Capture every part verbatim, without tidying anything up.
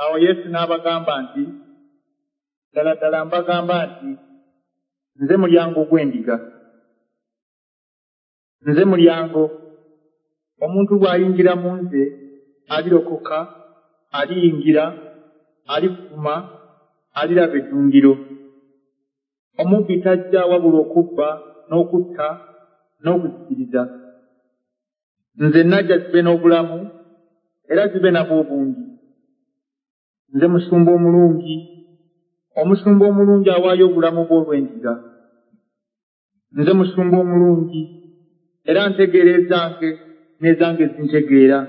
Awo Yesu n'abagamba nti, ddala ddala mbagamba nti, nze mulyango gw'endiga. Nze mulyango. Omuntu bw'ayingira mu nze alirokoka, aliyingira, alifuluma, aliraba eddundiro. Omubbi tajja wabula okubba n'okutta n'okuzikiriza. Nze najja zibe n'obulamu era zibe nabwo obungi. Nze musumba omulungi. Omusumba omulungi awaayo obulamu bwe olw'endiga. Nze musumba omulungi era ntegeera ezange n'ezange zintegeera,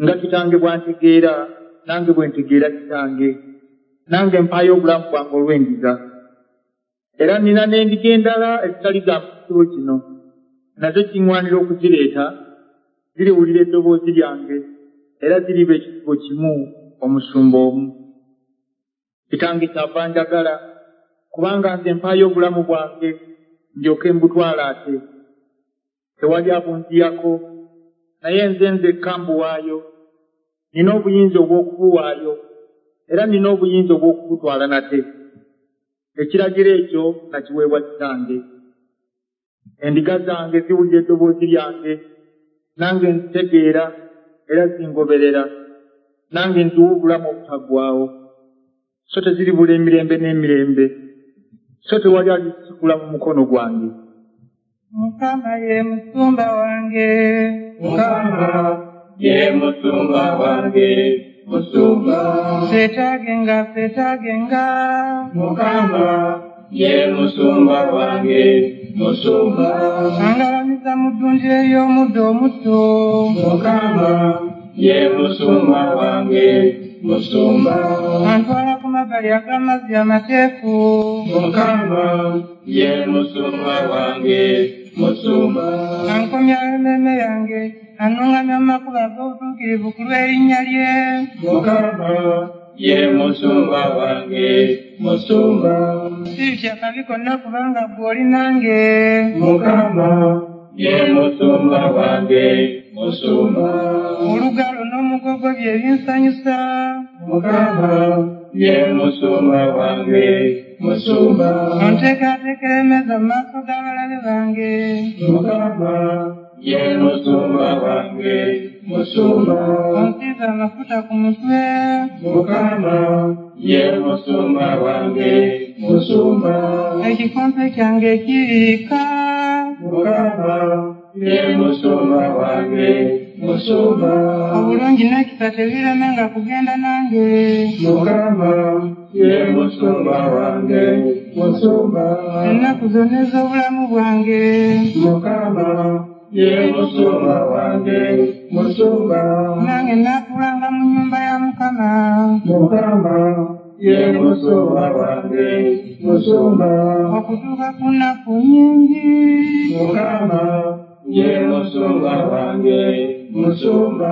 nga kitange bw'antegeera nange bwe ntegeera kitange. Nange mpaayo obulamu bwange olw'endiga. Era nnina n'endiga endala ezitali za mu kisibo kino, nazo kiŋŋwanira okuzireeta, ziriwulira eddoboozi lyange, era ziriba ekisibo kimu, omusumba omu. Kitange kyava njagala, kubanga nze mpaayo obulamu bwange ndyoke mbutwala ate. Tewali abunziyako, naye nze nzekka mbuwaayo. Nnina obuyinza obw'okubuwaayo, era nnina obuyinza obw'okubutwala nate. Ekiragiro ekyo nakiweebwa kitange. Endiga zange ziwulira eddoboozi lyange, nange nzitegeera era zingoberera. Nange nziwa obulamu obutaggwaawo, so teziribula emirembe n'emirembe, so tewali alizisikula mu mukono gwange. Mukama ye musumba wange. Mukama ye musumba wange, musumba. Seetaagenga, seetaagenga. Mukama ye musumba wange, musumba. Angalamiza mu ddundiro ery'omuddo omuto. Mukama ye musumba wange, musumba. Antwala ku mabbali ag'amazzi amateefu. Mukama ye musumba wange, musumba. Ankomyawo emmeeme yange, annuŋŋamya mu makubo ag'obutuukirivu ku lw'erinnya lye. Mukama ye musumba wange, musumba. Siritya kabi konna kubanga ggwe oli nange. Mukama ye musumba wange, musumba. Olugalo n'omugogo bye binsanyusa. Mukama ye musumba wange, musumba. Onteekateekera emmeeza mu maaso g'abalabe bange. Mukama ye musumba wange, musumba. Onsiize amafuta ku mutwe. Mukama ye musumba wange, musumba. Ekikompe kyange kiriika. Mukama ye musumba wange, musumba. Obulungi n'ekisa tebiremenga kugenda nange. Mukama ye musumba wange, musumba. Ennaku zonna ez'obulamu bwange. Mukama ye musumba wange, musumba. Nange nnaatuulanga mu nnyumba ya Mukama. Mukama ye musumba wange, musumba. Okutuuka ku nnaku nnyingi. Mukama ye musumba wange, musumba.